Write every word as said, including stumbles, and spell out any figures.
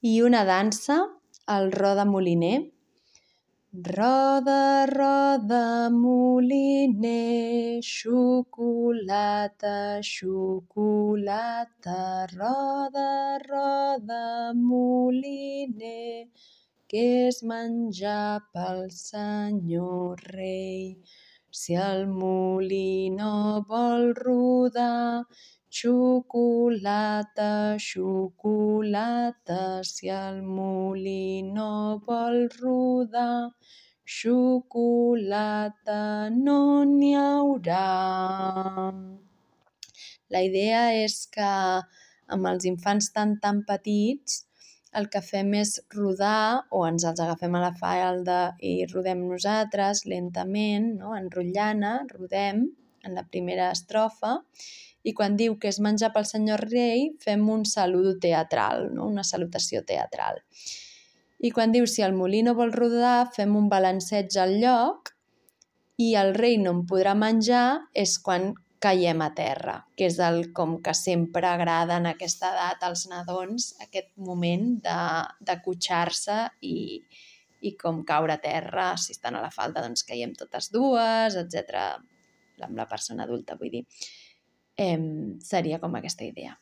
I una dansa, el roda moliner. Roda, roda, moliner, xocolata, xocolata. Roda, roda, moliner, què és menjar pel senyor rei? Si el molí no vol rodar, xocolata, xocolata. Si el molí no vol rodar, xocolata no n'hi haurà. La idea és que amb els infants tan tan petits el que fem és rodar, o ens els agafem a la falda i rodem nosaltres lentament, no? Enrotllant, rodem en la primera estrofa, i quan diu que és menjar pel senyor rei fem un saludo teatral, no? Una salutació teatral. I quan diu si el molí no vol rodar fem un balanceig al lloc i el rei no en podrà menjar és quan caiem a terra, que és el com que sempre agrada en aquesta edat als nadons, aquest moment de, de cotxar-se i, i com caure a terra. Si estan a la falda doncs caiem totes dues, etcètera. Amb la persona adulta, vull dir. Eh, seria com aquesta idea.